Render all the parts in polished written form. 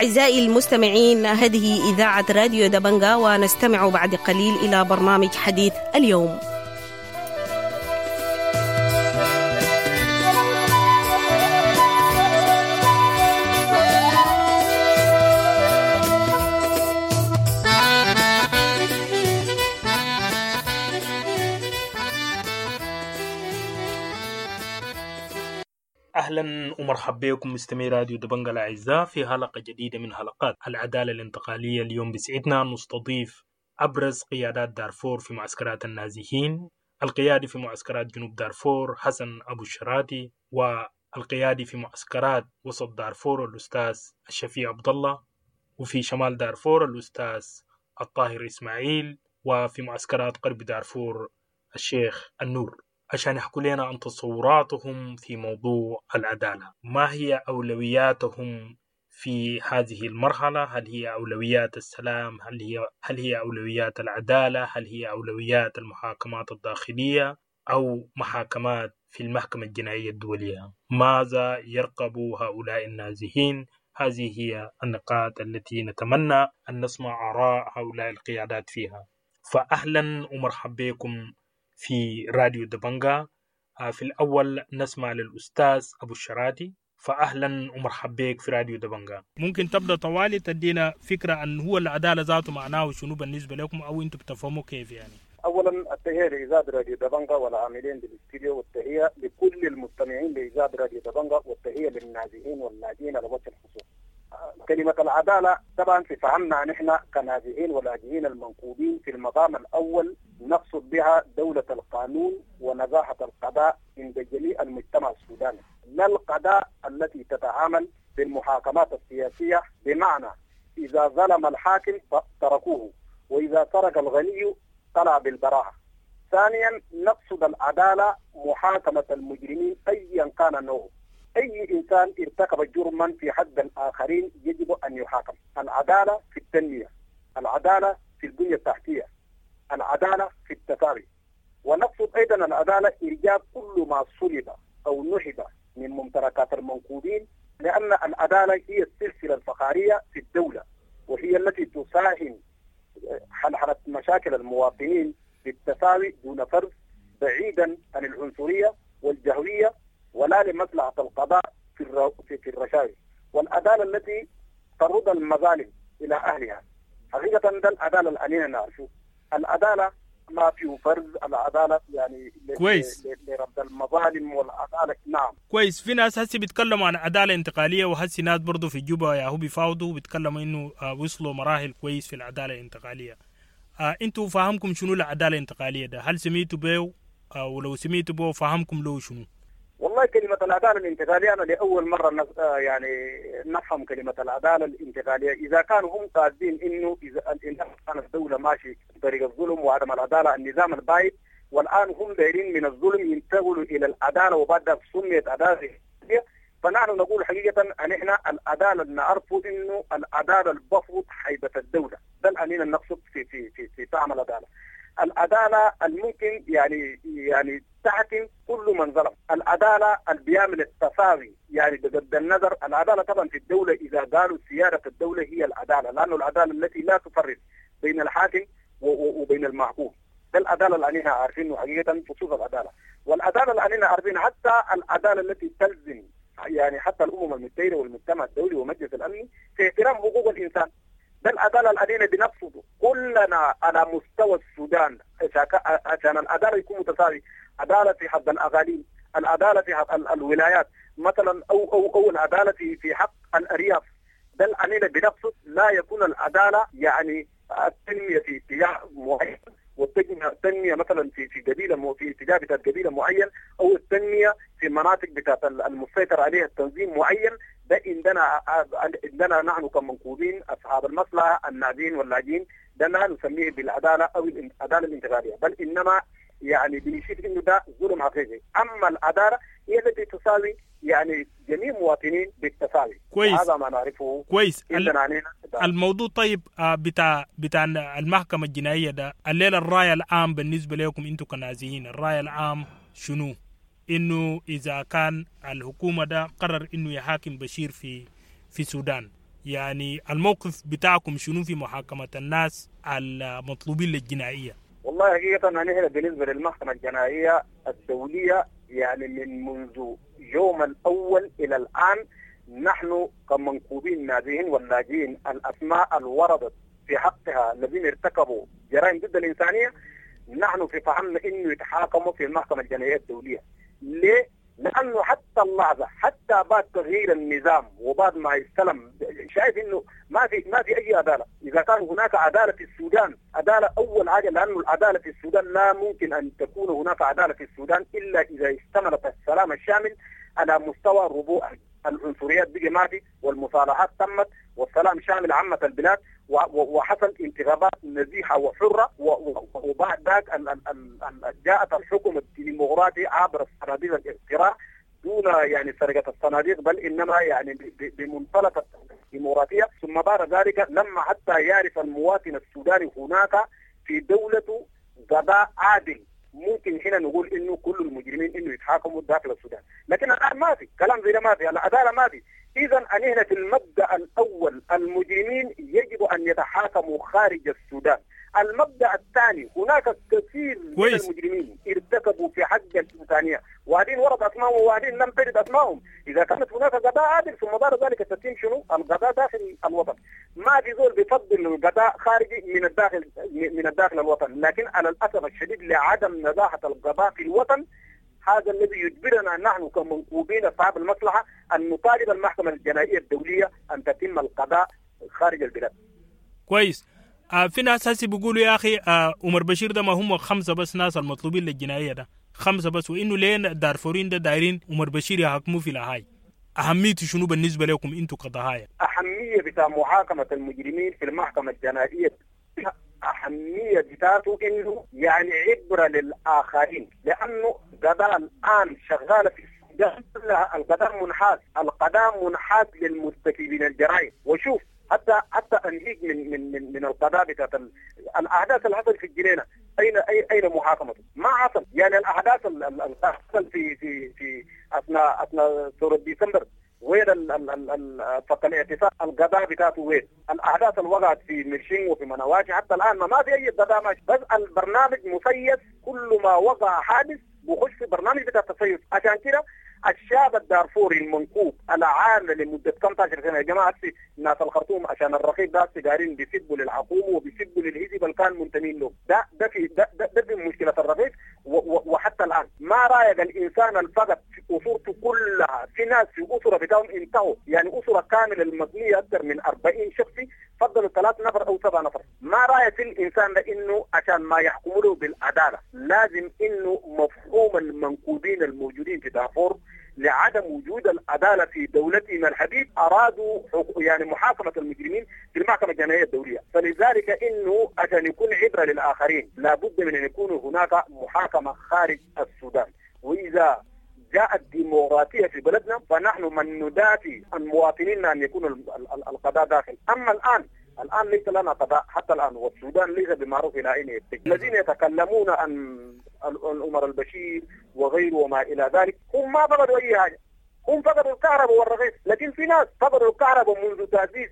أعزائي المستمعين، هذه إذاعة راديو دبنجا، ونستمع بعد قليل إلى برنامج حديث اليوم. أهلا ومرحبا بكم مستمعي راديو دبنجا الأعزاء في حلقة جديدة من حلقات العدالة الانتقالية. اليوم بسعدنا نستضيف أبرز قيادات دارفور في معسكرات النازحين، القيادي في معسكرات جنوب دارفور حسن أبو الشراتي، والقيادي في معسكرات وسط دارفور الأستاذ الشفيع عبد الله، وفي شمال دارفور الأستاذ الطاهر إسماعيل، وفي معسكرات غرب دارفور الشيخ النور، عشان يحكوا لنا عن تصوراتهم في موضوع العدالة. ما هي أولوياتهم في هذه المرحلة؟ هل هي أولويات السلام؟ هل هي أولويات العدالة؟ هل هي أولويات المحاكمات الداخلية أو محاكمات في المحكمة الجنائية الدولية؟ ماذا يرقب هؤلاء النازحين؟ هذه هي النقاط التي نتمنى أن نسمع آراء هؤلاء القيادات فيها. فأهلا ومرحبا بكم في راديو دبنجا. في الأول نسمع للأستاذ أبو الشراتي. فأهلا ومرحبا بك في راديو دبنجا. ممكن تبدأ طوالي تدينا فكرة عن هو العدالة ذاته معناه شنو بالنسبة لكم، أو أنتم بتفهموا كيف يعني؟ أولا التحية لإذاعة راديو دبنجا والعاملين بالاستديو، والتحية لكل المستمعين لإذاعة راديو دبنجا، والتحية للنازحين واللاجئين على وجه الخصوص. كلمة العدالة طبعا في فهمنا نحن كنازحين ولاجئين المنكوبين في المقام الأول نقصد بها دولة القانون ونزاهة القضاء عند جميع المجتمع السوداني، لا القضاء التي تتعامل بالمحاكمات السياسية، بمعنى إذا ظلم الحاكم تركوه، وإذا سرق الغني طلع بالبراءة. ثانيا نقصد العدالة محاكمة المجرمين أيا كان نوعه، أي إنسان ارتكب جرما في حد الآخرين يجب أن يحاكم. العدالة في التنمية، العدالة في البنية التحتية، العدالة في التساوي. ونقصد أيضا العدالة إرجاع كل ما سلب أو نهب من ممتلكات المنكوبين، لأن العدالة هي السلسلة الفقارية في الدولة، وهي التي تساهم حلحلة مشاكل المواطنين بالتساوي دون فرز، بعيدا عن العنصرية والجهوية، ولا لمصلحة القضاء في الرشاوي. والعدالة التي ترد المظالم إلى أهلها. حقيقة ده العدالة الأنينة نعرفه. العدالة ما فيه فرز، العدالة يعني كويس لرد المظالم والعدالة. نعم كويس. في ناس هسي بيتكلموا عن عدالة انتقالية، وهسي ناس برضو في جوبا ياهو بيفاوضوا بيتكلموا إنه وصلوا مراحل كويس في العدالة الانتقالية. انتوا فاهمكم شنو العدالة الانتقالية ده؟ هل سميتوا بيه؟ ولو سميتوا بيه فاهمكم له شنو؟ والله كلمة العدالة الانتقالية أنا لأول مرة يعني نفهم كلمة العدالة الانتقالية. إذا كانوا هم قاصدين إنه إذا كانت الدولة ماشي بطريق الظلم وعدم العدالة، النظام البايد، والآن هم دايرين من الظلم ينتقلوا إلى العدالة، وبعد سميت عدالة، فنحن نقول حقيقة أن إحنا العدالة نعرفه إنه العدالة البفوت هيبة الدولة، ده الأنين نقصد في في في في فهم العدالة. العدالة الممكن يعني تحكم كل من ظلم، العدالة اللي بيعمل التساوي يعني بغض النظر. العدالة طبعا في الدولة إذا قالوا سيادة الدولة هي العدالة، لأنه العدالة التي لا تفرق بين الحاكم وبين المحكوم، ده العدالة اللي علينا عارفينه حقيقة خصوص العدالة. والعدالة اللي علينا عارفين حتى العدالة التي تلزم يعني حتى الأمم المتحدة والمجتمع الدولي ومجلس الأمن في احترام حقوق الإنسان، ده العدالة الذين بنقصده كلنا على مستوى السودان عشان العدالة يكون متساوي. عدالة في حق الأقاليم، العدالة في حق الولايات مثلا، أو أو أو العدالة في حق الأرياف، ده الذين بنقصد. لا يكون العدالة يعني التنمية في اتجاه معين، والتنمية مثلا في قبيلة، في اتجاه بتاعت قبيلة معين، أو التنمية في مناطق بتاعت المسيطر عليها التنظيم معين. ده عندنا نحن كمنكوبين أصحاب المصلحة النازحين واللاجئين، ده لا نسميه بالعدالة أو العدالة الانتقالية، بل إنما يعني بنشوف إنه ده ظلم حقيقي. أما العدالة هي التي تساوي يعني جميع المواطنين بالتساوي. كويس، هذا ما نعرفه. كويس. الموضوع طيب بتاع المحكمة الجنائية ده الليلة، الرأي العام بالنسبة لكم أنتم كنازحين، الرأي العام شنو؟ إنه إذا كان الحكومة ده قرر إنه يحاكم بشير في السودان، يعني الموقف بتاعكم شنو في محاكمة الناس المطلوبين للجنائية؟ والله حقيقة نحن بالنسبة للمحكمة الجنائية الدولية يعني من منذ يوم الأول إلى الآن نحن كمنكوبين نازحين واللاجئين الأسماء الوردت في حقها الذين ارتكبوا جرائم ضد الإنسانية نحن في فهمنا إنه يتحاكموا في المحكمة الجنائية الدولية. ليه؟ لأنه حتى اللحظة حتى بعد تغيير النظام وبعد ما استلم شايف إنه ما في أي عدالة. إذا كان هناك عدالة في السودان، عدالة أول حاجة، لأنه العدالة في السودان لا ممكن أن تكون هناك عدالة في السودان إلا إذا اشتملت السلام الشامل على مستوى ربوع العنصريات بقي ما في، والمصالحات تمت، والسلام شامل عامة البلاد، وحصل انتخابات نزيهة وحرة، وبعد ذاك جاءت الحكم الديمقراطي عبر الصناديق الاقتراع دون يعني سرقة الصناديق، بل إنما يعني بمنطلق الديمقراطية. ثم بعد ذلك لما حتى يعرف المواطن السوداني هناك في دولته قضاء عادل، ممكن هنا نقول انه كل المجرمين انه يتحاكموا داخل السودان. لكن الان ما في كلام زي ده، ما في العدالة، ما في. اذا هنا في المبدا الاول المجرمين يجب ان يتحاكموا خارج السودان. المبدا الثاني هناك كثير من المجرمين ارتكبوا في حق الانسانية وبعدين ورد اسمائهم وبعدين لم ترد اسمائهم. اذا كانت هناك قضاء عادل ثم بعد ذلك تتم شنو القضاء داخل الوطن. ما في زول بيفضل القضاء خارجي من الداخل الوطن، لكن على الاسف الشديد لعدم نزاهة القضاء في الوطن هذا الذي يجبرنا نحن كمنكوبين اصحاب المصلحة ان نطالب المحكمة الجنائية الدولية ان تتم القضاء خارج البلاد. كويس. في ناس هسي بيقولوا يا اخي عمر بشير ده ما هم 5 بس ناس المطلوبين للجنائيه ده، 5 بس، وانه ليه دارفورين ده دايرين عمر بشير يحاكموه في لاهاي؟ اهميته شنو بالنسبة لكم انتم كضحايا؟ اهمية بتاع محاكمة المجرمين في المحكمة الجنائية، أهمية بتاعته إنه يعني عبرة للآخرين، لأنه قضاء الآن شغالة في السودان كلها القضاء منحاز، القضاء منحاز للمرتكبين الجرائم. وشوف حتى أنهيك من من من من القضاء بتاعت الأحداث اللي حصلت في الجنينة، أين محاكمته؟ ما حصل. يعني الأحداث اللي حصل في في في أثناء ثورة ديسمبر، وين فك الاعتصام القضاء بتاعته وين؟ الاحداث اللي وقعت في مرشين وفي منواشي حتى الان ما في اي قضاء ماشي، بس البرنامج مسيس، كل ما وقع حادث بخش في برنامج بتاع التسيس. عشان كده الشاب الدارفوري المنكوب العام لمدة 15 سنة يا جماعة، ناس الخرطوم عشان الرقيب ده دايرين بيسبوا للحكومة وبيسبوا للحزب اللي كان منتمين له، ده ده في ده, ده, ده في مشكلة الرقيب. وحتى الان ما رايق الانسان الفقد في اسرته كلها، في ناس في اسره بتاعهم انتهوا، يعني اسره كاملة المبنية اكثر من 40 شخص فضلوا 3 نفر او 7 نفر. ما رايك في الانسان ده انه عشان ما يحكموا له بالعدالة لازم انه مفهوم المنكوبين الموجودين في دارفور لعدم وجود العدالة في دولتنا الحبيب ارادوا يعني محاكمة المجرمين في المحكمة الجنائية الدولية. فلذلك انه عشان يكون عبره للاخرين لابد من ان يكون هناك محاكمة خارج السودان. واذا جاءت ديمقراطية في بلدنا فنحن من ندافع عن مواطنينا ان يكون القضاء داخل. اما الان ليس لنا قضاء حتى الان، والسودان ليس بمعروف الى اين يتجه. الذين يتكلمون عن عمر البشير وغيره وما الى ذلك هم ما فقدوا اي حاجة، هم فقدوا الكهرباء والرغيف، لكن في ناس فقدوا الكهرباء منذ تاسيس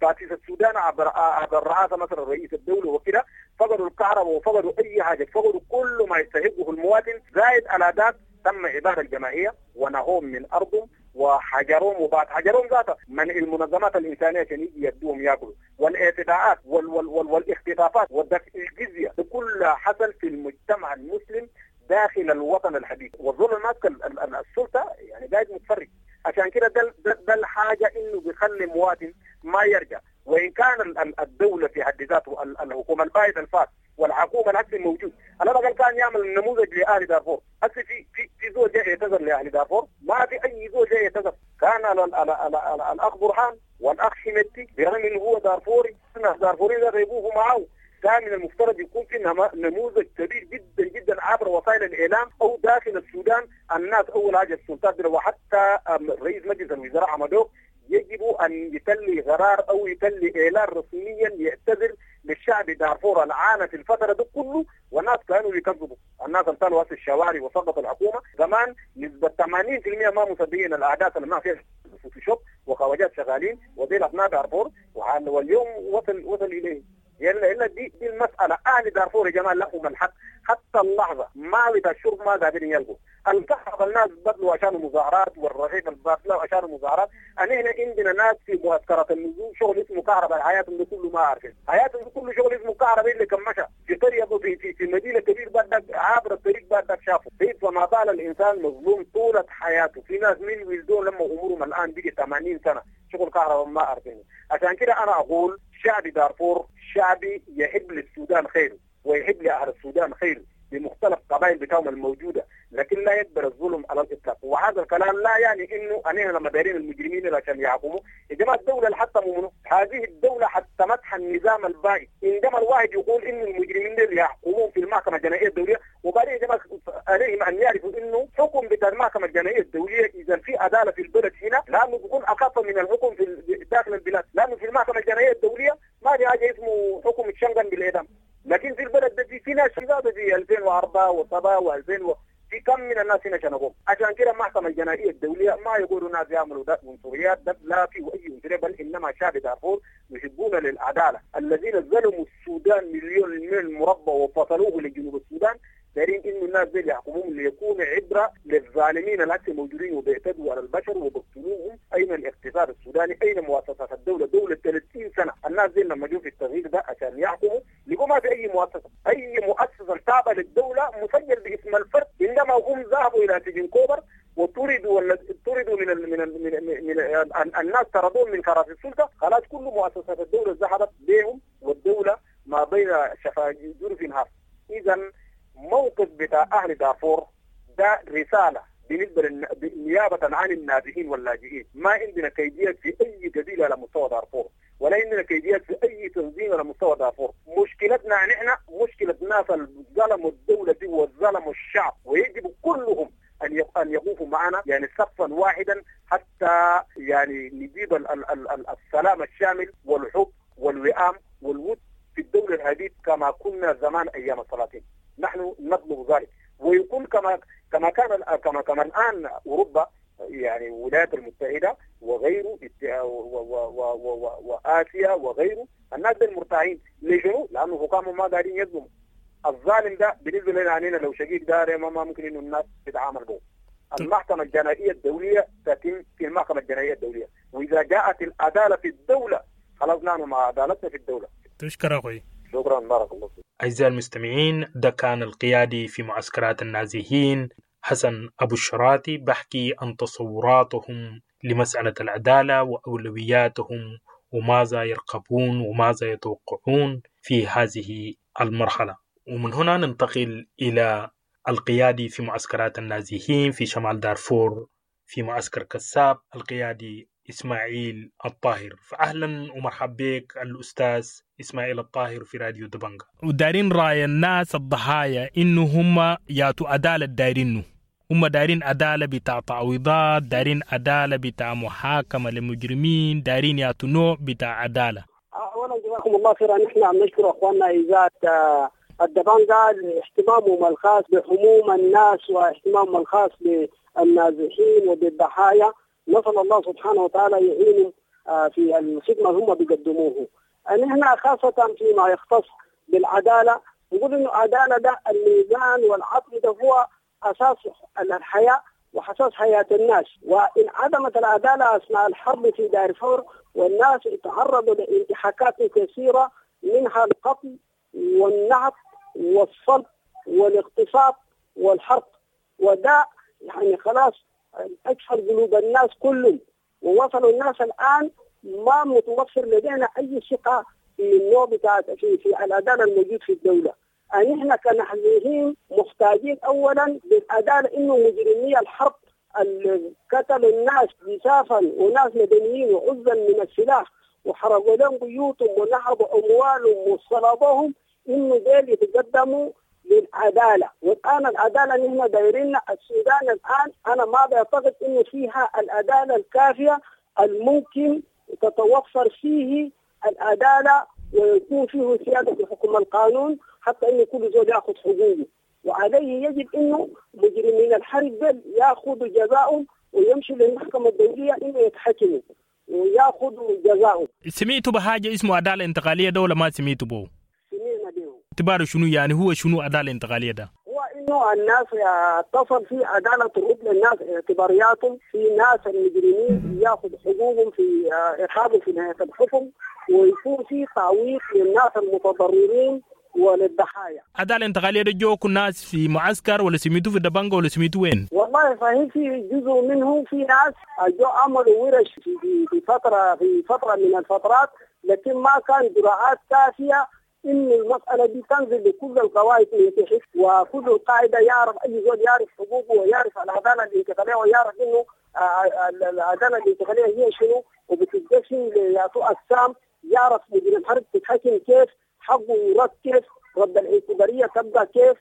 تاسيس السودان عبر الرئاسة مثلا رئيس الدولة وكده، فقدوا الكهرباء وفقدوا اي حاجة، فقدوا كل ما يستحقه المواطن. زائد على ذلك تم ابادة الجماعية ونهوهم من ارضهم وحجرهم، وبعد حجرهم ذاته من المنظمات الانسانية عشان يجي يدوهم ياكلوا، والاعتداءات والاختطافات والدفع الجزية كلها حصل في المجتمع المسلم داخل الوطن الحديث. والظلم ماسك السلطة يعني قاعد متفرج. عشان كده ده الحاجة انه بيخلي مواطن ما يرجع. وان كان الدولة في حد ذاته الحكومة البايده الفات والحكومة العكس الموجود، على الاقل كان يعمل نموذج لاهل دارفور. هسه في زول جاي يعتذر لاهل دارفور؟ ما في اي زول جاي يعتذر. كان على الاخ برهان والاخ حميدتي برغم انه هو دارفوري، دارفوري ده غيبوه معه، كان من المفترض يكون في نموذج كبير جدا جدا عبر وسائل الاعلام او داخل السودان. الناس اول حاجة السلطات وحتى رئيس مجلس الوزراء عمدوك يجب ان يتلي قرار او يتلي اعلان رسميا يعتذر للشعب دارفور العانى في الفترة دي كله. والناس كانوا يكذبوا، الناس امتلوا في الشوارع وسقطوا الحكومة. زمان نسبه 80% ما مصدقين الاحداث اللي ما فيها فوتوشوب. والخواجات شغالين وديل ابناء دارفور، واليوم وصل اليه. يلا دي المسالة. اهل دارفور يا جماعة لهم الحق حتى اللحظة ما بتاع الشرب ما قادرين يلقوا الكهرباء. الناس بدلوا عشان مظاهرات، والرغيف بدلوا عشان مظاهرات. انا هنا عندنا ناس في معسكرات النزول شغل اسمه كهرباء، حياتهم كله ما عارفين، حياتهم كله شغل اسمه كهرباء اللي كان مشى في قرية في في مدينة كبير بعدك عابر الطريق بعدك شافه. فما بال الانسان مظلوم طولة حياته. في ناس من ولدوا لما امورهم الان بقي 80 سنة شغل كهرباء ما عارفينه. عشان كده انا اقول شعب دارفور شعبي يحب للسودان خير ويحب لاهل السودان خير بمختلف قبائل بتاعهم الموجودة، لكن لا يقبل الظلم على الاطلاق. وهذا الكلام لا يعني انه انا لما دايرين المجرمين عشان يحكموا. يا جماعة الدولة اللي حطموا منه هذه الدولة حطمتها النظام البائد. عندما الواحد يقول ان المجرمين دول يحكمون في المحكمة الجنائية الدولية، وبعدين يا جماعة عليهم ان يعرفوا انه حكم بتاع المحكمة الجنائية الدولية اذا في عدالة في البلد هنا لانه بيكون اخف من الحكم في داخل البلاد، لانه في المحكمة الجنائية الدولية ما في حاجة اسمه حكم يتشنغن بالاعدام. لكن في البلد ده في ناس في 2004 و7 و2000 في كم من الناس هنا شنقوهم. عشان كده المحكمة الجنائية الدولية ما يقولوا ناس يعملوا ده عنصريات، ده لا في اي عنصرية، بل انما شعب دارفور يحبون للعدالة. الذين ظلموا السودان مليون ميل مربع وفصلوه لجنوب السودان، دايرين انه الناس دي يحكموهم ليكون عبره للظالمين التي موجودين وبيعتدوا على البشر وبيقتلوهم. اين الاقتصاد السوداني؟ اين مؤسسات الدولة؟ دولة 30 سنة الناس دي لما جو في التغيير ده عشان يحكموا لقوا ما في اي مؤسسة، اي مؤسسة تابعه للدولة مسجل باسم الفرد. عندما هم ذهبوا الى سجن كوبر وطردوا ولا طردوا من ال من ال من, ال من ال الناس طردوهم من كراسي السلطة، خلاص كل مؤسسات الدولة ذهبت بهم، والدولة ما بين شفا جرف هار. اذا موقف بتاع أهل دارفور ده رسالة بالنسبة نيابة عن النازحين واللاجئين. ما عندنا كيديات في أي قبيلة على مستوى دارفور، ولا عندنا كيديات في أي تنظيم على مستوى دارفور. مشكلتنا نحن مشكلة ناس ظلموا الدولة دي وظلموا الشعب، ويجب كلهم أن يقوفوا معنا يعني صفا واحدا حتى يعني نجيب السلام الشامل والحب والوئام والود في الدولة الحديث كما كنا زمان أيام السلاطين. نحن نطلب ذلك، ويكون كما كما كان كما كما الان اوروبا يعني الولايات المتحدة وغيره واسيا وغيره، الناس دول مرتاحين. ليش؟ لانه حكامهم ما قاعدين يظلموا. الظالم ده بالنسبة لنا علينا لو شقيق ده ما ممكن انه الناس تتعامل به. المحكمة الجنائية الدولية تتم في المحكمة الجنائية الدولية، واذا جاءت العدالة في الدولة خلاص نحن مع عدالتنا في الدولة. تشكر اخوي. شكرا، بارك الله فيك. أعزائي المستمعين، ده كان القيادي في معسكرات النازحين حسن أبو الشراتي بحكي عن تصوراتهم لمسألة العدالة وأولوياتهم وماذا يرقبون وماذا يتوقعون في هذه المرحلة. ومن هنا ننتقل إلى القيادي في معسكرات النازحين في شمال دارفور في معسكر كساب، القيادي إسماعيل الطاهر. فأهلا ومرحبا بك الأستاذ إسماعيل الطاهر في راديو دبنجا. ودارين رأي الناس الضحايا إنه هم ياتوا عدالة دايرينه، هم دايرين عدالة بتاع تعويضات، دايرين عدالة بتاع محاكمة للمجرمين، دايرين ياتوا نوع بتاع عدالة. أولا جزاكم الله خيرا. نحن عم نشكر أخواننا إذاعة الدبنجا لاهتمامهم الخاص بحموم الناس واهتمامهم الخاص بالنازحين وبالضحايا. نسأل الله سبحانه وتعالى يعينهم في الخدمة هم بيقدموه. نحن خاصة فيما يختص بالعدالة نقول إنه العدالة ده الميزان والعدل ده هو أساس الحياة وأساس حياة الناس. وإن عدمت العدالة أثناء الحرب في دارفور والناس تعرضوا لانتهاكات كثيرة منها القتل والنهب والصلب والاغتصاب والحرق، وده يعني خلاص أكثر قلوب الناس كلهم، ووصلوا الناس الآن ما متوفر لدينا أي ثقة في النوع بتاع في العدالة الموجود في الدولة. نحن كنحزيين محتاجين أولا للعدالة، إنه مجرمي الحرب اللي قتلوا الناس جسافا وناس مدنيين وعزا من السلاح وحرقوا لهم بيوتهم ونهبوا أموالهم وصلبوهم، إنه ديل يتقدموا للعدالة. والآن العدالة نحن دايرين السودان الآن أنا ما بعتقد إنه فيها العدالة الكافية الممكن تتوفر فيه العدالة ويكون فيه سيادة حكم القانون حتى إنه كل زول يأخذ حقوقه. وعليه يجب إنه مجرمين الحرب دول يأخذوا جزاءهم ويمشوا للمحكمة الدولية إنه يتحكموا. وياخذوا جزاؤه. سمعتوا بحاجة اسمه عدالة انتقالية ده ولا ما سمعتوا به؟ سمعنا به. اعتباره شنو يعني، هو شنو عدالة انتقالية ده؟ هو انه الناس تصل في عدالة ترد للناس اعتبارياتهم، في ناس المجرمين ياخذ حقوقهم في عقابهم في نهاية الحكم، ويكون في تعويض للناس المتضررين وللضحايا. عدالة انتقالية ده جوكوا الناس في معسكر ولا سميتوا في دبنجة ولا سميتوا وين؟ والله فهي في جزء منه في ناس جو عملوا ورش في فترة من الفترات، لكن ما كان إجراءات كافية إن المسألة دي تنزل لكل القواعد من تحت، وكل القاعدة يعرف أي زول يعرف حقوقه ويعرف العدالة الانتقالية ويعرف إنه العدالة الانتقالية هي شنو وبتتقسم ليعطوا أقسام، يعرف مدير الحرب تتحكم كيف، حقه يرد كيف، رد الاعتبارية تبقى كيف،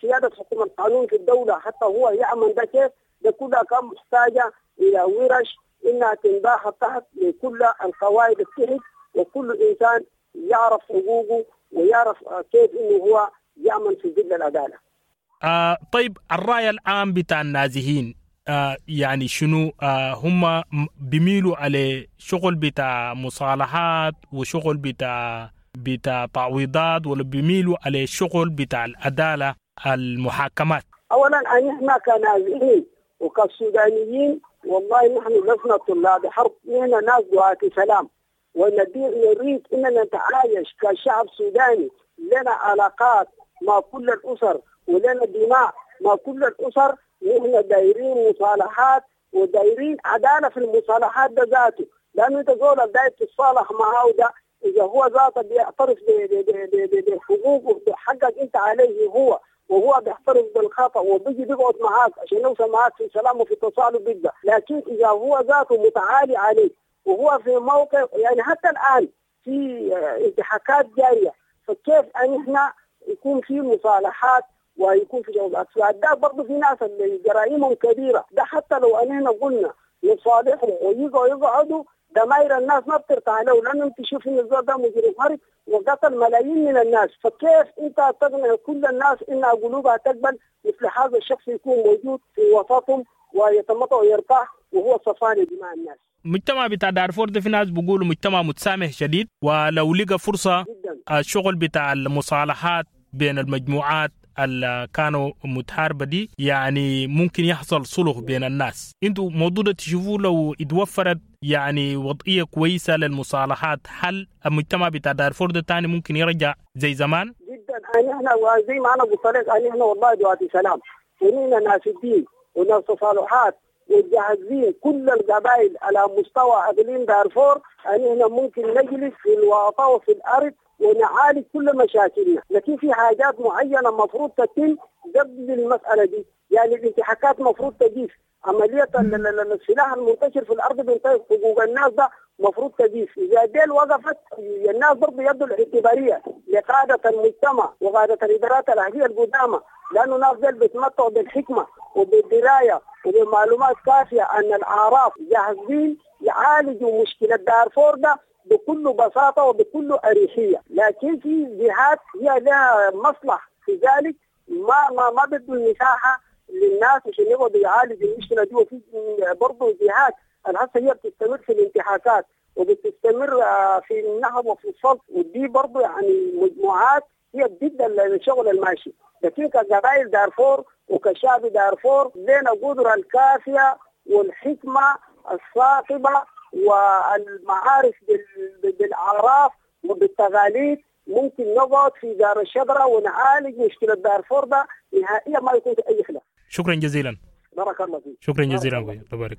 سيادة حكم القانون في الدولة حتى هو يعمل ده كيف. ده كلها كان محتاجة إلى ورش إنها تنباح تحت لكل القواعد التحت، وكل إنسان يعرف حقوقه ويعرف كيف إنه هو يعمل في ظل العدالة. طيب الرأي العام بتاع النازحين يعني شنو؟ هم بيميلوا على شغل بتاع مصالحات وشغل بتاع تعويضات، ولا بيميلوا على شغل بتاع العدالة المحاكمات؟ أولا نحن كنازحين وكسودانيين والله نحن لسنا طلاب حرب، نحن ناس دعاة سلام، ونريد أننا نتعايش كشعب سوداني، لنا علاقات مع كل الأسر ولنا دماء مع كل الأسر. نحن دايرين مصالحات ودايرين عدالة في المصالحات ده ذاته، لأنه أنت زول داير تتصالح معه ده إذا هو ذاته بيعترف بحقوقه بحقك أنت عليه هو، وهو بيعترف بالخطأ وبيجي بيقعد معاك عشان يوصل معاك في سلام وفي تصالح بيبقى. لكن إذا هو ذاته متعالي عليك وهو في موقع يعني حتى الآن في انتهاكات جارية، فكيف أن إحنا يكون في مصالحات ويكون في جوابات؟ فده برضه في ناس اللي جرائمهم كبيرة، ده حتى لو أن إحنا قلنا نصالحهم ويجوا يقعدوا دماير الناس ما بترتاح له، لأنه أنت تشوف إن الزول ده مجرم حرب وقتل ملايين من الناس، فكيف أنت تقنع كل الناس إن قلوبها تقبل مثل هذا الشخص يكون موجود في وسطهم ويتمطع ويرتاح وهو صفاني دماء الناس؟ مجتمع بتاع دارفور ده في ناس بيقولوا مجتمع متسامح شديد، ولو لقى فرصة جدا الشغل بتاع المصالحات بين المجموعات اللي كانوا متحاربة دي يعني ممكن يحصل صلح بين الناس. انتوا موضوع ده تشوفوه لو اتوفرت يعني وضعية كويسة للمصالحات، هل المجتمع بتاع دارفور ده تاني ممكن يرجع زي زمان؟ جدا. احنا زي ما انا قلت لك احنا والله دعاة سلام، ونحن ناس الدين وناس تصالحات وجاهزين كل القبائل على مستوى اقليم دارفور ان احنا ممكن نجلس في الواطة وفي الارض ونعالج كل مشاكلنا، لكن في حاجات معينة مفروض تتم قبل المسالة دي، يعني الانتهاكات مفروض تجيف، عملية السلاح المنتشر في الارض بينتهك حقوق الناس ده مفروض تجيف، اذا ديل وقفت الناس برضه يدوا الاعتباريه لقادة المجتمع وقادة الادارات الاهلية القدامى، لانه الناس ديل بيتمتعوا بالحكمة وبالدرايه وبمعلومات كافيه ان الاعراف جاهزين يعالجوا مشكلة دارفور ده بكل بساطة وبكل اريحية، لكن في جهات هي لها مصلحة في ذلك ما ما بدوا المساحة للناس عشان يقعدوا يعالجوا المشكلة دي، وفي برضه جهات الهسه هي بتستمر في الانتهاكات وبتستمر في النهب وفي الصلب، ودي برضه يعني مجموعات هي ضد الشغل الماشي، لكن كقبائل دارفور وكشعب دارفور لنا قدرة الكافية والحكمة الثاقبة والمعارف بالأعراف وبالتقاليد، ممكن نقعد في دار الشجرة ونعالج مشكلة دارفور ده نهائيا ما يكون في أي خلاف. شكرا جزيلا. بارك الله فيك. شكرا جزيلا. بارك.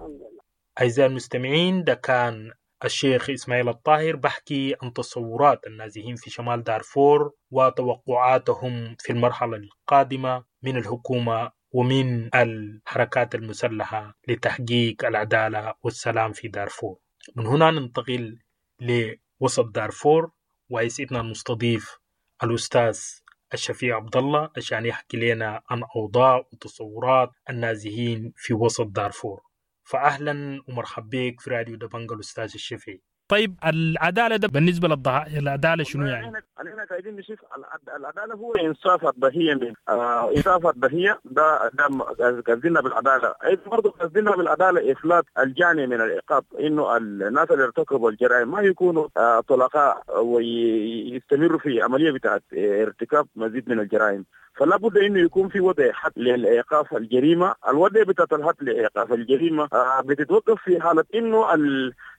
أعزائي المستمعين، ده كان الشيخ إسماعيل الطاهر بحكي عن تصورات النازحين في شمال دارفور وتوقعاتهم في المرحلة القادمة من الحكومة ومن الحركات المسلحة لتحقيق العدالة والسلام في دارفور. من هنا ننتقل لوسط دارفور، ويسعدنا المستضيف الأستاذ الشفيع عبد الله عشان يحكي لنا عن أوضاع وتصورات النازحين في وسط دارفور. فأهلا ومرحبا بك في راديو دبنجا الأستاذ الشفيع. طيب العدالة ده بالنسبة للضحايا العدالة شنو يعني؟ احنا قاعدين نشوف العدالة هو انصاف الضحية من انصاف الضحية ده قصدنا بالعدالة. ايضا برضه قصدنا بالعدالة افلات الجاني من العقاب، انه الناس اللي ارتكبوا الجرائم ما يكونوا طلقاء ويستمروا في عملية بتاعت ارتكاب مزيد من الجرائم. فلا بد انه يكون في وضع حد لايقاف الجريمة. الوضع بتاعت الحد لايقاف الجريمة بتتوقف في حاله انه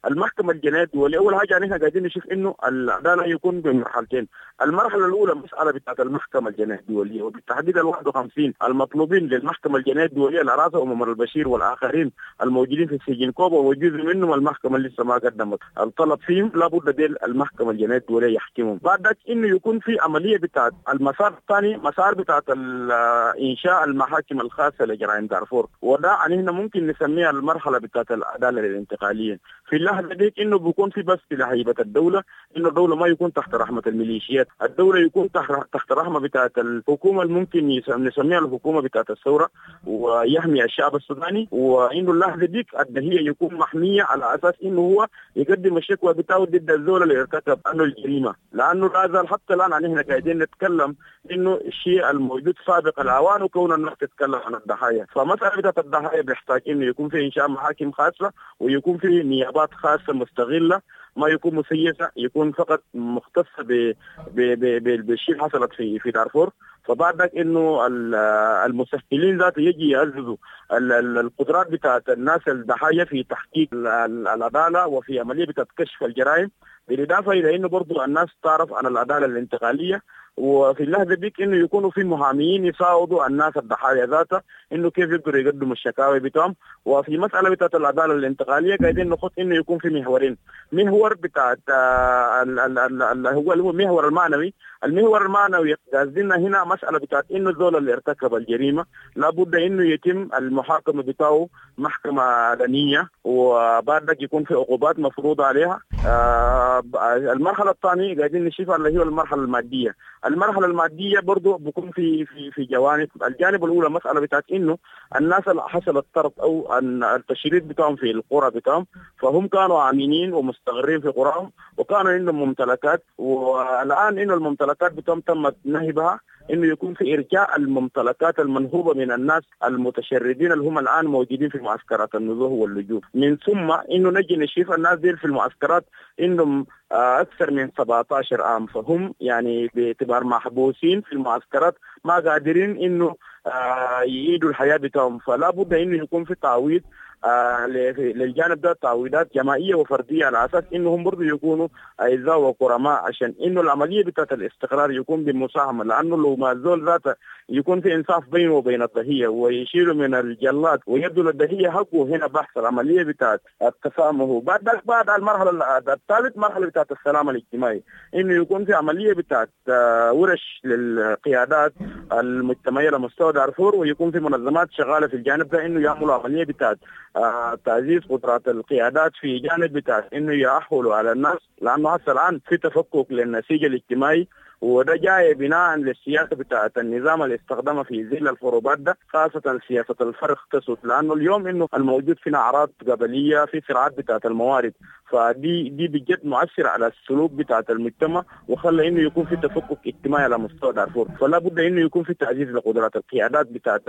المحكمة الجنائية الدولية. اول حاجة نحن قاعدين نشوف انه العدالة يكون بمرحلتين. المرحلة الاولى مسالة بتاعت المحكمة الجنائية الدولية، وبالتحديد ال 51 المطلوبين للمحكمة الجنائية الدولية على راسهم عمر البشير والاخرين الموجودين في سجن كوبا، وجزء منهم المحكمة لسه ما قدمت الطلب فيهم، لابد ديل المحكمة الجنائية الدولية يحكمهم. بعد ذلك انه يكون في عملية بتاعت المسار الثاني، مسار بتاعت انشاء المحاكم الخاصة لجرائم دارفور، وده يعني هنا ممكن نسميها المرحلة بتاعت العدالة الانتقالية. في اللحظة ديك انه بيكون في بس لهيبه الدولة، انه الدولة ما يكون تحت رحمه الميليشيات، الدولة يكون تحت رحمه بتاعت الحكومة اللي ممكن نسميها الحكومة بتاعت الثورة، ويحمي الشعب السوداني. وانه اللحظة ديك الدهيه يكون محمية على اساس انه هو يقدم الشكوى بتاعه ضد الزول اللي ارتكب انه الجريمة، لانه لا زال حتى الان نحن قاعدين نتكلم انه الشيء الموجود سابق الاوان وكون الناس تتكلم عن الضحايا. فمسالة بتاعت الضحايا بيحتاج انه يكون في انشاء محاكم خاصة، ويكون في نيابات خاصة مستغله، ما يكون مسيسه، يكون فقط مختصة بالشيء اللي حصلت في دارفور. فبعد ذلك انه المسهلين ذاته يجي يعززوا القدرات بتاعت الناس الضحايا في تحقيق العدالة وفي عملية بتاعت كشف الجرائم، بالاضافة الى انه برضو الناس تعرف عن العدالة الانتقالية. وفي اللحظة ديك انه يكونوا في محاميين يساعدوا الناس الضحايا ذاتها انه كيف يقدروا يقدموا الشكاوي بتاعهم. وفي مسالة بتاعت العدالة الانتقالية قاعدين نخط انه يكون في محورين، محور بتاعت هو المحور المعنوي. المحور المعنوي قصدنا هنا مسالة بتاعت انه الزول اللي ارتكب الجريمة لابد انه يتم المحاكمة بتاعه محكمة علنية، وبعد ذلك يكون في عقوبات مفروضة عليها. المرحلة الثانية قاعدين نشوف اللي هي المرحلة المادية. المرحلة المادية برضو بيكون في في في جوانب. الجانب الاولى مسالة بتاعت انه الناس اللي حصل الطرد او التشريد بتاعهم في القرى بتاعهم، فهم كانوا امينين ومستقرين في قراهم وكانوا عندهم ممتلكات، والان انه الممتلكات بتاعهم تمت نهبها، انه يكون في ارجاع الممتلكات المنهوبه من الناس المتشردين اللي هم الان موجودين في معسكرات النزوح واللجوء. من ثم انه نجي نشوف الناس دي في المعسكرات انهم اكثر من 17 عام، فهم يعني باعتبار محبوسين في المعسكرات ما قادرين انه يعيدوا الحياة بتاعهم. فلا بد انه يكون في تعويض للجانب ده، تعويضات جماعية وفرديه على اساس انهم برضه يكونوا اعزاء وكرماء، عشان انه العملية بتاعت الاستقرار يكون بمساهمه. لانه لو ما الزول ذاته يكون في انصاف بينه وبين الضحية ويشيلوا من الجلاد ويدوا للضحيه حقه، هنا بحث العملية بتاعت التسامح. بعد المرحلة الثالث مرحلة بتاعت السلام الاجتماعي، انه يكون في عملية بتاعت ورش للقيادات المجتمعية لمستوى دارفور، ويكون في منظمات شغالة في الجانب ده انه يعملوا عملية بتاعت تعزيز قدرات القيادات في جانب بتاع انه يأهلوا على الناس، لانه هسه الان في تفكك للنسيج الاجتماعي، وده جاي بناء للسياسة بتاعت النظام اللي استخدمها في ظل الحروبات ده، خاصة سياسة الفرق تسد. لانه اليوم انه الموجود فينا اعراض قبليه، في صراعات بتاعت الموارد، فدي دي بجد مؤثر على السلوك بتاعت المجتمع، وخلى انه يكون في تفكك اجتماعي على مستوى دارفور. فلا بد انه يكون في تعزيز لقدرات القيادات بتاعت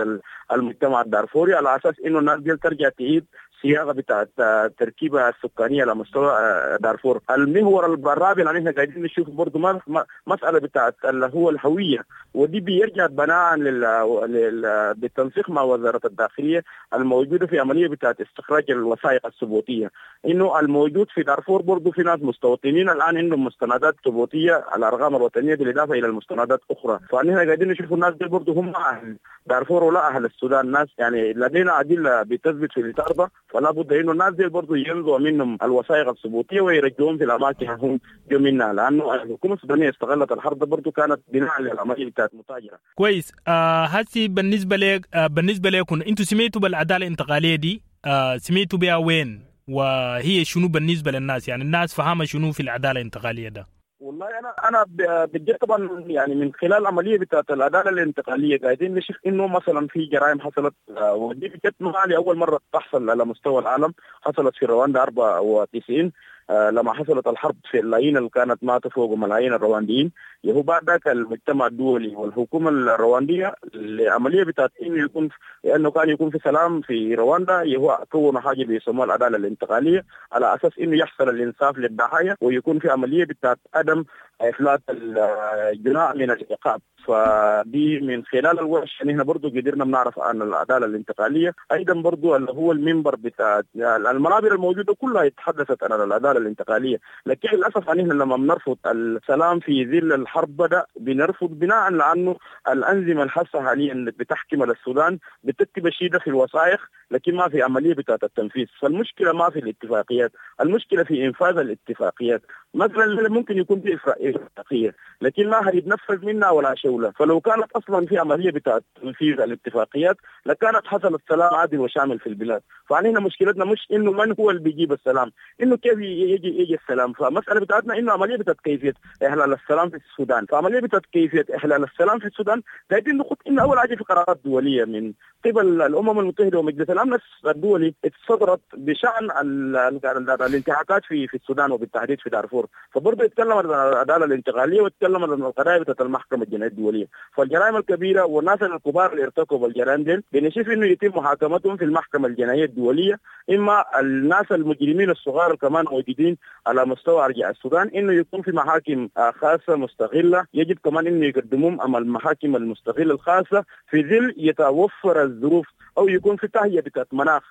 المجتمع الدارفوري على اساس انه الناس دي ترجع تعيد صياغة بتاعت التركيبة السكانية على مستوى دارفور. المحور الرابع اللي احنا قاعدين نشوف برضه مسالة بتاعت اللي هو الهوية، ودي بيرجع بناء بالتنسيق مع وزارة الداخلية الموجودة في عملية بتاعت استخراج الوثائق الثبوتيه، انه الموجود في دارفور برضه في ناس مستوطنين الان عندهم مستندات ثبوتية على الارقام الوطنية بالاضافة الى المستندات اخرى. فنحن قاعدين نشوف الناس دي برضه هم اهل دارفور ولا اهل السودان، ناس يعني لدينا ادلة بتثبت في الاطار ده، فلا بد انه الناس دي برضه ينزعوا منهم الوثائق الثبوتيه ويرجعوهم في الاماكن هم جو منها، لانه الحكومة السودانية استغلت الحرب برضه كانت بناء للعملية بتاعت متاجره. كويس. هسي بالنسبة لك بالنسبة لكم انتم سمعتوا بالعدالة الانتقالية دي، سمعتوا بها وين وهي شنو بالنسبة للناس؟ يعني الناس فهمها شنو في العدالة الانتقالية ده؟ والله انا بجد طبعا يعني من خلال العملية بتاعت العدالة الانتقالية قاعدين نشوف انه مثلا في جرائم حصلت، ودي بجد ما لاول مرة تحصل على مستوى العالم، حصلت في رواندا 94، لما حصلت الحرب في اللايين اللي كانت ماتوا فوق ملايين الروانديين، يهو بعد ذاك المجتمع الدولي والحكومة الروانديه العملية بتاعت انه يكون انه كان يكون في سلام في رواندا، يهو كونوا حاجة بيسموها العدالة الانتقالية على اساس انه يحصل الانصاف للضحايا ويكون في عملية بتاعت عدم افلات الجناء من العقاب. فدي من خلال الورش نحن برضو قدرنا بنعرف عن العدالة الانتقالية. ايضا برضو اللي هو المنبر بتاع المنابر الموجودة كلها تحدثت عن العدالة الانتقالية، لكن للاسف نحن لما بنرفض السلام في ظل الحرب بدا بنرفض بناء لانه الانظمة الحاسة حاليا اللي بتحكم السودان بتكتب الشيء ده في الوثائق، لكن ما في عملية بتاعت التنفيذ. فالمشكلة ما في الاتفاقيات، المشكلة في انفاذ الاتفاقيات. مثلا ممكن يكون في اتفاقية لكن ما هيتنفذ منها ولا شوله، فلو كانت اصلا في عملية بتاعت تنفيذ الاتفاقيات لكانت حصل السلام عادل وشامل في البلاد. فعلينا مشكلتنا مش انه من هو اللي بيجيب السلام، انه كيف يجي السلام. فمسالة بتاعتنا انه عملية بتاعت كيفية احلال السلام في السودان. فعملية بتاعت كيفية احلال السلام في السودان قاعدين نخط انه اول حاجة في قرارات دولية من قبل الامم المتحدة ومجلس الامن الدولي اتصدرت بشان الانتهاكات في السودان وبالتحديد في دارفور. فبرضه يتكلم عن العدالة الانتقالية ويتكلم عن القضايا بتاعت المحكمة الجنائية الدولية. فالجرائم الكبيرة والناس الكبار اللي ارتكبوا الجرائم دي بنشوف انه يتم محاكمتهم في المحكمة الجنائية الدولية، اما الناس المجرمين الصغار كمان موجودين على مستوى ارجاء السودان انه يكون في محاكم خاصة مستغله، يجب كمان انه يقدموهم امام المحاكم المستغله الخاصة في ظل يتوفر الظروف او يكون في تهيئة بتاعت مناخ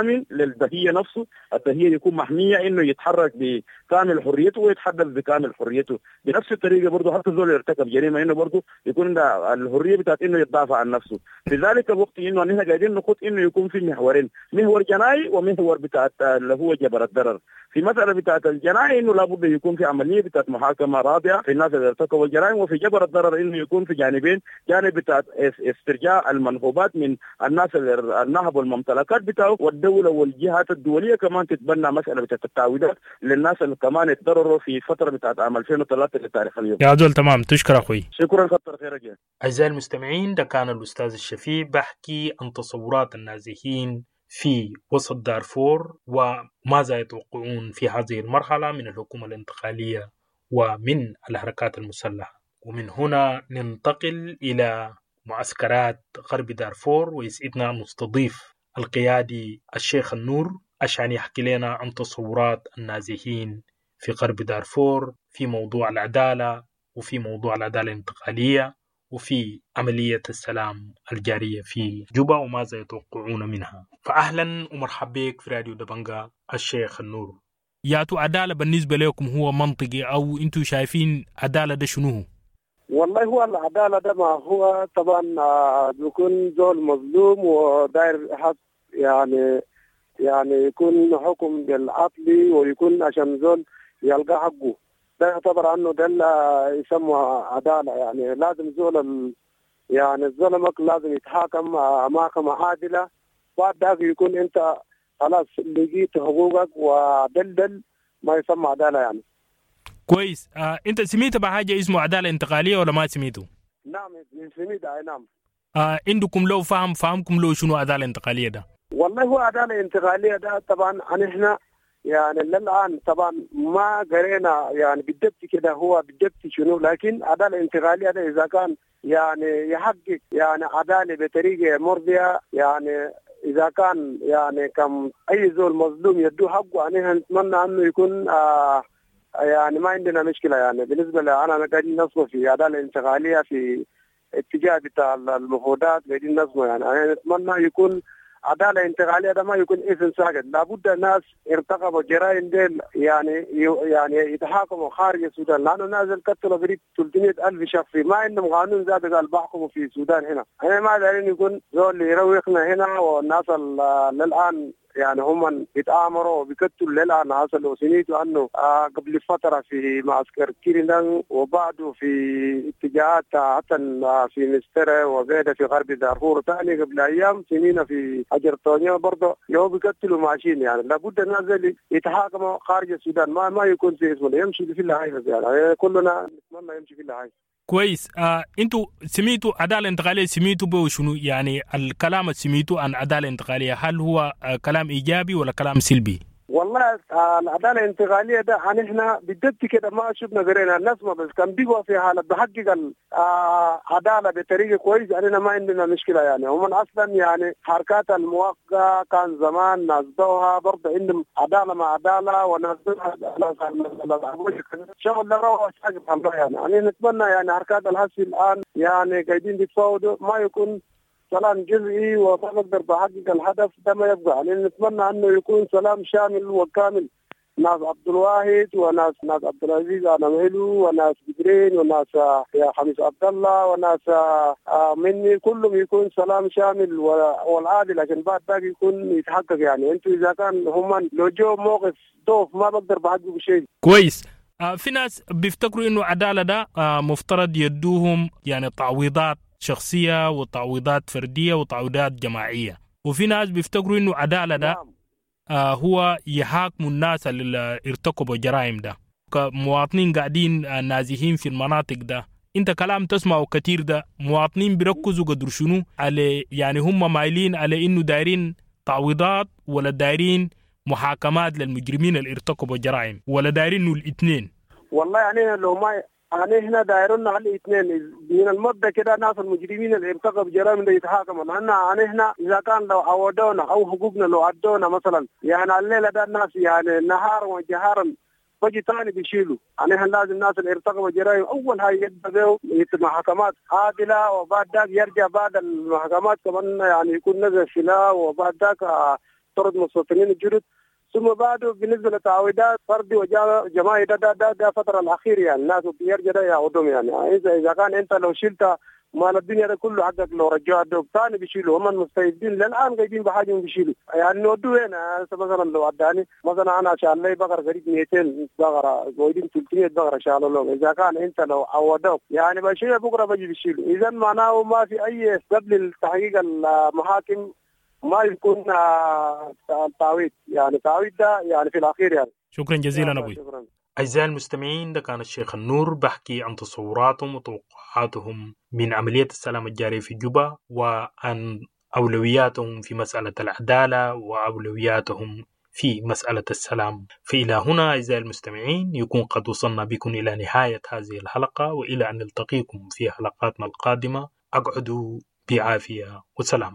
آمن للضحية نفسه، الضحية يكون محمية إنه يتحرك بكامل حريته ويتحدث بكامل حريته. بنفس الطريقة برضه حتى زول يرتكب جريمة إنه برضه يكون الحرية بتاعت إنه يتدافع عن نفسه. في ذلك الوقت إنه نحن قاعدين نخط إنه يكون في محورين، محور جنائي ومحور بتاعت اللي هو جبر الضرر. في مسألة بتاعت الجنائي إنه لابد يكون في عملية بتاعت محاكمة رادعة في الناس اللي ارتكبوا الجرائم، وفي جبر الضرر إنه يكون في جانبين، جانب بتاعت استرجاع المنهوبات من الناس اللي نهبوا الممتلكات بتاعه، والدولة والجهات الدولية كمان تتبنى مسألة بتاعت التعويضات للناس اللي كمان اتضرروا في فترة بتاعت عام 2003 لتاريخ اليوم. يا زول تمام، تشكر أخوي. شكرا، كتر خيرك. أعزائي المستمعين، ده كان الأستاذ الشفيع بحكي عن تصورات النازحين في وسط دارفور وماذا يتوقعون في هذه المرحلة من الحكومة الانتقالية ومن الحركات المسلحة. ومن هنا ننتقل إلى معسكرات غرب دارفور، ويسعدنا نستضيف القيادي الشيخ النور عشان يحكي لنا عن تصورات النازحين في غرب دارفور في موضوع العدالة وفي موضوع العدالة الانتقالية وفي عملية السلام الجارية في جوبا وماذا يتوقعون منها. فأهلا ومرحبا بك في راديو دبنجا الشيخ النور. ياتو عدالة بالنسبة لكم هو منطقي أو أنتم شايفين عدالة ده شنو؟ والله هو العدالة ده ما هو طبعا بيكون زول مظلوم وداير حق، يعني يكون حكم بالعدل ويكون عشان زول يلقى حقه، ده يعتبر انه ده يسمى عدالة. يعني لازم زول يعني الظلمك لازم يتحاكم محاكمة عادلة، بعد ذاك يكون انت خلاص لقيت حقوقك ودلدل ما يسمى عدالة يعني. كويس. انت سميت بحاجة اسمه عدالة انتقالية ولا ما سميته؟ نعم سميت، اي نعم. عندكم لو فهمكم لو شنو عدالة انتقالية ده؟ والله هو عدالة انتقالية ده طبعا احنا يعني للآن طبعا ما قرينا يعني بالضبط كده هو بالضبط شنو، لكن عدالة انتقالية ده إذا كان يعني يحقق يعني عدالة بطريقة مرضية، يعني إذا كان يعني كم أي زول مظلوم يدو حقه، يعني نتمنى أنه يكون يعني ما عندنا مشكلة. يعني بالنسبة لأنا قاعدين نصمه في عدالة انتقالية في اتجاه بتاع المفاوضات قاعدين نصمه، يعني أنا نتمنى يكون عدالة انتقالية ده ما يكون اسم ساكت، لابد الناس ارتكبوا جرائم ديل يعني يتحاكموا خارج السودان، لأنه نازل قتلوا قريب 300,000 شخص ما عندهم قانون ذات قال بحكموا في السودان هنا. احنا ما دارين يكون زول يروقنا هنا، والناس للآن يعني هم بيتآمروا وبيقتلوا للآن. حصلوا سنيتوا أنه قبل فترة في معسكر كيرندان وبعده في اتجاهات حتى في مسترة وبعده في غرب دارفور، ثاني قبل أيام سنين في أجرطانيا برضه يو بيقتلوا ماشيين. يعني لابد الناس يتحاكموا خارج السودان، ما يكون في اسمه يمشي في الهاي، يعني كلنا نتمنى يمشي في الهاي. كويس. انتوا سميتوا عدالة انتقالية، سميتوا به شنو؟ يعني الكلام اللي سميتوا عن عدالة انتقالية هل هو كلام ايجابي ولا كلام سلبي؟ والله العدالة الانتقالية ده نحن بالضبط كده ما شفنا قرينا الناس ما بس كان بيقوا في حاله بحقق العدالة بطريقة كويسة، يعني ما عندنا مشكلة يعني. هم اصلا يعني حركات الموافقة كان زمان ناس دوها برضه عندهم عدالة مع عدالة، وناس شغل ده يعني. نتمنى يعني حركات الحسي الان يعني قاعدين بيتفاوضوا ما يكون سلام جزئي وما بقدر بحقق الهدف ده ما يبقى يعني. نتمنى انه يكون سلام شامل وكامل، ناس عبد الواحد وناس ناس عبد العزيز انا وناس بدرين وناس يا خميس عبد الله وناس مني، كلهم يكون سلام شامل والعادل عشان بعد ذاك يكون يتحقق يعني. انتوا اذا كان هم لو جو موقف ضعف ما بقدر بحقق شيء كويس. في ناس بيفتكروا انه عدالة ده مفترض يدوهم يعني تعويضات شخصية وتعويضات فردية وتعويضات جماعية، وفي ناس بيفتكروا انه عدالة ده هو يحاكموا الناس اللي ارتكبوا جرائم ده كمواطنين قاعدين نازحين في المناطق ده. انت كلام تسمعه كتير ده، مواطنين بيركزوا قدر شنو على يعني هم مايلين على انه دايرين تعويضات ولا دايرين محاكمات للمجرمين اللي ارتكبوا جرائم، ولا دايرين انه الاثنين؟ والله يعني لو ما يعني احنا دايرين على الاثنين من المبدا كده، ناس المجرمين اللي ارتكبوا جرائم ده يتحاكموا، لان يعني احنا اذا كان لو عودونا او حقوقنا لو عدونا مثلا يعني الليلة ده الناس يعني نهارا وجهارا بجي ثاني بيشيلوا. يعني احنا لازم الناس اللي ارتكبوا جرائم اول هاي يبدا محاكمات عادلة، وبعد ذاك يرجع بعد المحاكمات كمان يعني يكون نزل سلاح، وبعد ذاك طرد مستوطنين الجدد، ثم بعده بالنسبة للتعويضات فردي وجماعي ده ده ده, ده فترة الاخير يعني الناس بيرجع ده يعودهم يعني. اذا كان انت لو شلت مال الدنيا ده كله حقك لو رجعوا الدوب ثاني بيشيلوا، هم المستفيدين للان قاعدين بحاجة بيشيلوا يعني. نودوا وين مثلا لو اداني مثلا انا شال لي بقرة قريب 200 بقرة قاعدين 300 بقرة شالوا لهم، اذا كان انت لو عودوك يعني بشيء بكره بجي بيشيلوا. اذا معناه ما في اي قبل التحقيق المحاكم ما يكون تعويض يعني، تعويض ده يعني في الاخير يعني. شكرا جزيلا ابوي. أعزائي المستمعين، ده كان الشيخ النور بحكي عن تصوراتهم وتوقعاتهم من عملية السلام الجارية في جوبا، وعن أولوياتهم في مسألة العدالة وأولوياتهم في مسألة السلام. فإلى هنا أعزائي المستمعين يكون قد وصلنا بكم إلى نهاية هذه الحلقة، وإلى أن نلتقيكم في حلقاتنا القادمة. أقعدوا بعافية وسلام.